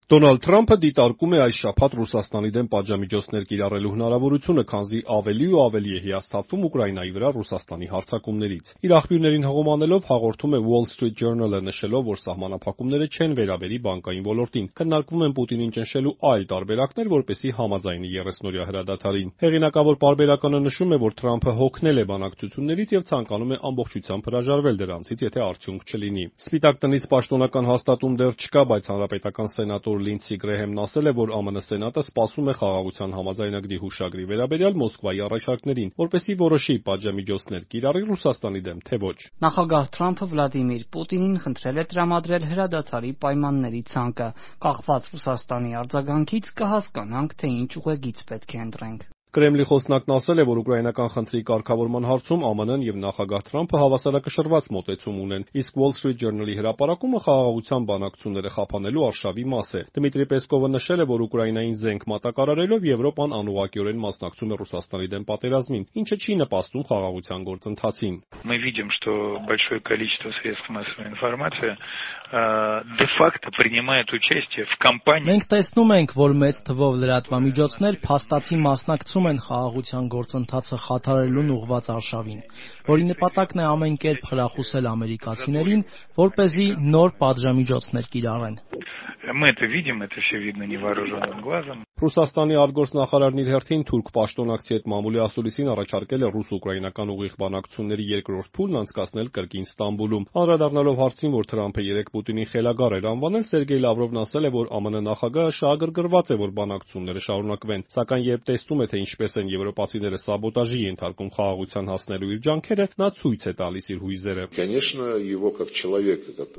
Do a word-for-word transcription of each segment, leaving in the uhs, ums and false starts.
Դոնալդ Թրամփը դիտարկում է այս շաբաթ Ռուսաստանի դեմ պատժամիջոցներ կիրառելու հնարավորությունը, քանզի ավելի ու ավելի է հիասթափվում Ուկրաինայի վրա Ռուսաստանի հարձակումներից։ Իր աղբյուրներին հղումանելով հաղորդում է Wall Street Journal-ը, նշելով, որ սահմանափակումները չեն վերաբերի բանկային ոլորտին, քննարկվում են Պուտինին ճնշելու այլ տարբերակներ, որպեսզի համաձայնի եռեսնօրյա հրադադարին։ Հեղինակավոր պարբերականը նշում է, որ Թրամփը հոգնել է բանակցություններից եւ ցանկանում է ամբողջությամբ հրաժարվել դրանցից, եթե արդյունք չլինի։ Սպիտակ տնից պաշտոնական հաստատում դեռ չկա, բայց հանրապետական սենատոր Լինսի Գրեհեմն ասել է, որ ԱՄՆ Սենատը սպասում է խաղաղության համաձայնագրի հուշագրի վերաբերյալ Մոսկվայի առաջարկներին, որպեսզի որոշի պատժամիջոցներ կիրառի Ռուսաստանի դեմ, թե ոչ։ Նախագահ Թրամփը Վլադիմիր Պուտինին խնդրել է տրամադրել հրադադարի պայմանների ցանկը։ Կախված Ռուսաստանի արձագանքից կհասկանանք, թե ինչ ուղեգիծ պետք է ընտրենք։ Կրեմլի խոսնակն ասել է, որ ուկրաինական խնդրի կարգավորման հարցում ԱՄՆ-ն եւ նախագահ Թրամփը հավասարակշռված մոտեցում ունեն, իսկ Wall Street Journal-ի հրապարակումը խաղաղության բանակցությունները խափանելու արշավի մաս է։ Դմիտրի Պեսկովը նշել է, որ Ուկրաինային զենք մատակարարելով Եվրոպան անուղղակիորեն մասնակցում է Ռուսաստանի դեմ պատերազմին, ինչը չի նպաստում խաղաղության գործընթացին։ Мы видим, что большое количество средств массовой информации де-факто принимает участие в кампании. Մենք տեսնում ենք, որ մեծ թվով լրատվամիջոցներ փաստացի մասնակցում են խաղաղության գործընթացը խաթարելուն ուղղված արշավին, որի նպատակն է ամեն կերպ խրախուսել ամերիկացիներին, որպեսզի նոր պատժամիջոցներ կիրառեն։ Мы это видим, это все видно невооруженным глазом. Ռուսաստանի արտգործնախարարն իր հերթին թուրք պաշտոնակցի հետ մամուլի ասուլիսին առաջարկել է ռուս-ուկրաինական ուղիղ բանակցությունների երկրորդ փուլն անցկացնել կրկին Ստամբուլում։ Անդրադառնալով հարցին, որ Թրամփը երեկ Պուտինին խելագար էր անվանել, Սերգեյ Լավրովն ասել է, որ ԱՄՆ նախագահը շահագրգռված է, որ բանակցությունները շարունակվեն, սակայն երբ տեսնում է, թե ինչպես են եվրոպացիները սաբոտաժի ենթարկում խաղաղության հասնելու իր ջանքերը, նա ցույց է տալիս իր հույզերը։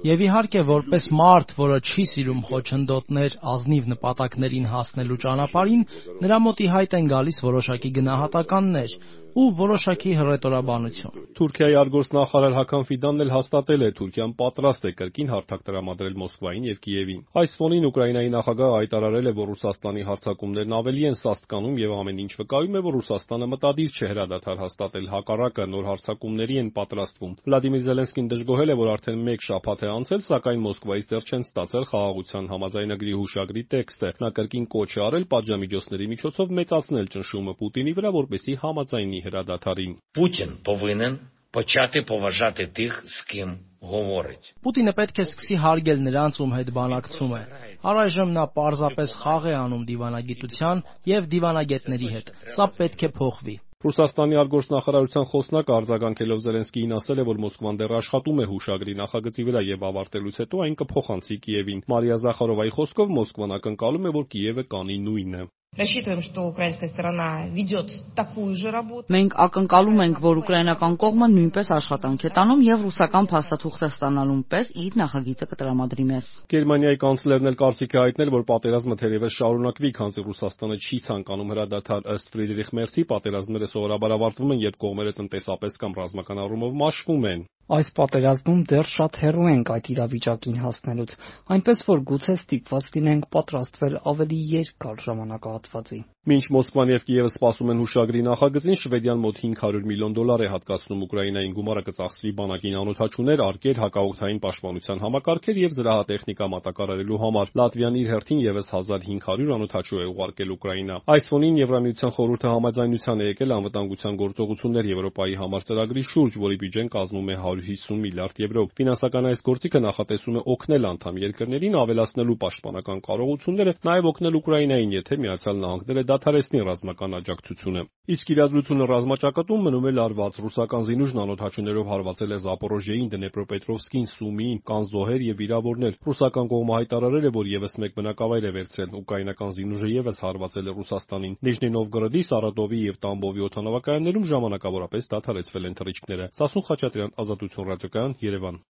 Եվ իհարկե, որպես մարդ, որը չի սիրում խոչընդոտներ ազնիվ նպատակներին հասնելու ճանապարհին, նրա մոտ ի հայտ են գալիս որոշակի գնահատականներ ու որոշակի հռետորաբանություն։ Թուրքիայի արտգործնախարար Հական Ֆիդանն էլ հաստատել է, Թուրքիան պատրաստ է կրկին հարթակ տրամադրել Մոսկվային եւ Կիևին։ Այս ֆոնին Ուկրաինայի նախագահը հայտարարել է, որ Ռուսաստանի հարձակումներն ավելի են սաստկանում եւ ամեն ինչ վկայում է, որ Ռուսաստանը մտադիր չէ հրադադար հաստատել, հակառակը նոր հարձակումների են պատրաստվում։ Վլադիմիր Զելենսկին դժգոհել է, որ արդեն մեկ շաբաթ է անցել, սակայն Մոսկվայից դեռ չեն ստացել խաղաղության համաձայնագրի հուշագրի տեքստը։ Նա կրկին կոչ է արել պատժամիջոցների միջոցով մեծացնել ճնշումը Պուտինի վրա, որպեսզի համաձայնի հրադադարին։ Պուտին повинен почати поважати тих, з ким говорить. Պուտինը պետք է սկսի հարգել նրանց, ում հետ բանակցում է։ Առայժմ նա պարզապես խաղ է անում դիվանագիտության եւ դիվանագետների հետ։ Սա պետք է փոխվի։ Ռուսաստանի արտգործնախարարության խոսնակը արձագանքելով Զելենսկիին ասել է, որ Մոսկվան դեռ աշխատում է հուշագրի նախագծի վրա եւ ավարտելուց հետո այն կփոխանցի Կիևին։ Մարիա Զախարովայի խոսքով Մոսկվան ակնկալում է, որ Կիևը կանի նույնը։ Рассчитываем, что украинская сторона ведет такую же работу. Մենք ակնկալում ենք, որ ուկրաինական կողմը նույնպես աշխատանք է տանում եւ ռուսական փաստաթուղթը ստանալուն պես իր նախագիծը կտրամադրի մեզ։ Գերմանիայի կանցլերն էլ կարծիք է հայտնել, որ պատերազմը թերևս շարունակվի, քանզի Ռուսաստանը չի ցանկանում հրադադար։ Ըստ Ֆրիդրիխ Մերցի, պատերազմները սովորաբար ավարտվում են, երբ կողմերը տնտեսապես կամ ռազմական առումով մաշվում են։ Այս պատերազմում դեռ շատ հեռու ենք այդ իրավիճակին հասնելուց, այնպես որ գուցե ստիպված լինենք պատրաստվել ավելի երկար ժամանակահատվածի։ Մինչ Մոսկվան եւ Կիևը սպասում են հուշագրի նախագծին, Շվեդիան մոտ հինգ հարյուր միլիոն դոլար է հատկացնում Ուկրաինային, գումարը կծախսվի բանակին անօդաչուներ, արկեր, հակաօդային պաշտպանության համակարգեր եւ զրահատեխնիկա մատակարարելու համար։ Լատվիան իր հերթին եւս հազար հինգ հարյուր անօդաչու է ուղարկել Ուկրաինա։ Այս ֆոնին Եվրամիության խորհուրդը համաձայնության է եկել անվտանգության գործողություններ Եվրոպայի համար ծրագրի շուրջ, որի բյուջեն կազմում է հարյուր հիսուն միլիարդ եվրո։ Ֆինանսական այս գործիքը նախատեսում է օգնել անդամ երկրներին ավելացնելու պաշտպանական կարողությունները, նաեւ օգնել Ուկրաինային, եթե Միացյալ Նահանգները դադարեցնի ռազմական աջակցությունը։ Իսկ իրադրությունը ռազմաճակատում մնում է լարված։ Ռուսական զինուժն անօդաչուներով հարվածել է Զապորոժիային, Դնեպրոպետրովսկին, Սումիին, կան զոհեր եւ վիրավորներ։ Ռուսական կողմը հայտարարել է, որ եւս մեկ բնակավայր է վերցրել։ Ուկրաինական զինուժը եւս հարվածել է Ռուսաստանին։ Նիժնի Նովգորոդի, Սարատովի եւ Տամբովի օդանավակայաններում ժամանակավորապես դադարեցվել են թռիչքները։ Սասուն Խաչատրյան, Ազատություն ռադիոկայան, Երևան։